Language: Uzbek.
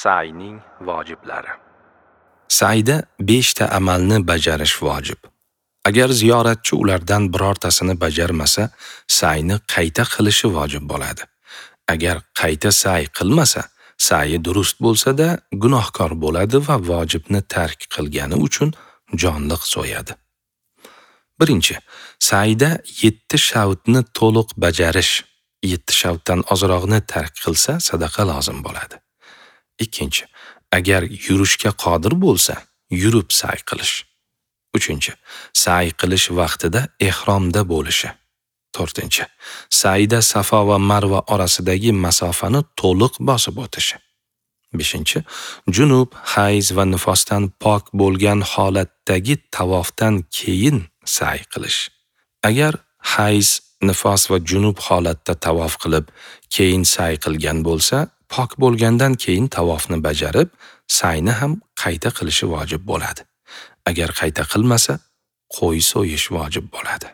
Sayning vojiblari. Sayda 5 ta amalni bajarish vojib. Agar ziyoratchi ulardan birortasini bajarmasa, sayni qayta qilishi vojib bo'ladi. Agar qayta say qilmasa, sayi durust bo'lsa-da gunohkor bo'ladi va vojibni tark qilgani uchun jonliq so'yadi. Birinchi, sayda 7 shavtni to'liq bajarish. 7 shavtdan ozrog'ini tark qilsa, sadaqa lozim bo'ladi. Ikkinchi, agar yurishga qodir bo'lsa, yurib say qilish. Uchinchi, say qilish vaqtida ehromda bo'lishi. To'rtinchi, sayda Safo va Marva orasidagi masofani to'liq bosib o'tishi. Beshinchi, junub, hayz va nifosdan pok bo'lgan holatdagi tavofdan keyin say qilish. Agar hayz, nifos va junub holatda tavof qilib, keyin say qilgan bo'lsa, pok bo'lgandan keyin tavofni bajarib, sayni ham qayta qilishi vojib bo'ladi. Agar qayta qilmasa, qo'y so'yish vojib bo'ladi.